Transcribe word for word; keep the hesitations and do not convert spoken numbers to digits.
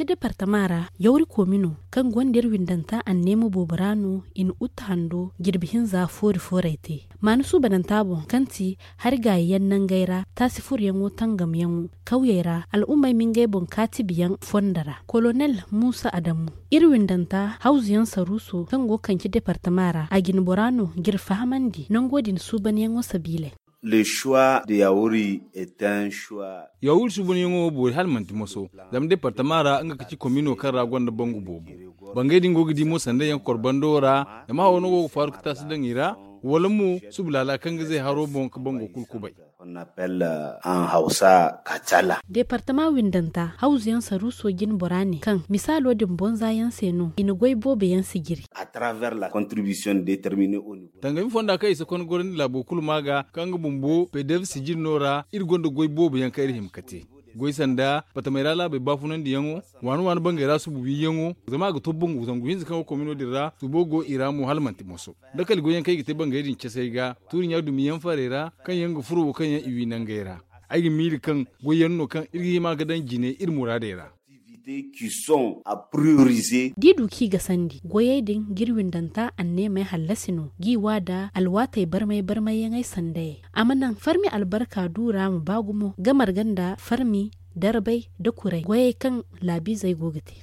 Departama ra, yawri koomino kaŋ gonda iri windanta anneema boobo ra no i na utte hando jirbi hinza foori fooray te. Maana suubananta boŋ kaŋ ti hari gaayiyaŋ nangey ra taasi furoyaŋo tangamyaŋo kawyey ra al'ummey ma ngey boŋ kaatibiyaŋ fondo ra. Kolonel muusa adamu, iri windanta hawzuyaŋ saruuso kaŋ go ga kanci departama ra a jinbora no ga iri fahamandi nango din suubanyaŋo sabiiley. Yawuri suubanyaŋo wo boori hala manti moso. Zama departama ra nga ga ci komino kaŋ ra gonda bangu boobo. Bangey din go ga di mo sanday yaŋ korbando ra, zama hawo no go ga faaru ga taasi daŋ i ra, wala mo subu laala kaŋ ga zay haro boŋ ga bango kulu kubay. Departama windanta hawzuyaŋ saruuso jinbora ne kaŋ misaalo din bonza yaŋ se no i na goy boobo yaŋ sijiri. Tangami fonda kaŋ i si konda gorandi laabo kulu ma ga kaŋ nga bumbo pedev sijiri no ra iri gonda goy boobo yaŋ kaŋ iri hima ga te. Goy sanda patamey ra laabey baafunandiyaŋo, waani waani bangey ra subu wiiyaŋo, zama a ga to bangu zangu hinza kaŋ go komino din ra subo go i ra mo hala manti moso. Dakali goyyaŋ kaŋ i ga te bangey din casey ga tuuri ɲa dumiyaŋ farey ra kaŋ yaŋ ga furo wo kaŋ yaŋ i wi nangey ra. Ay ga miiri kaŋ goyyaŋ no kaŋ iri ga hima ga daŋ jine iri muraadey ra. D'i du kaŋ i ga sandi goyey din ga iri windanta anneemey hallasi no g'i wa da alwaatey barmay barmayyaŋey sandayey a ma naŋ farmi albarka du ra ma ba gumo ga marga nda farmi darbay da kuray goyey kaŋ laabiizey go ga te.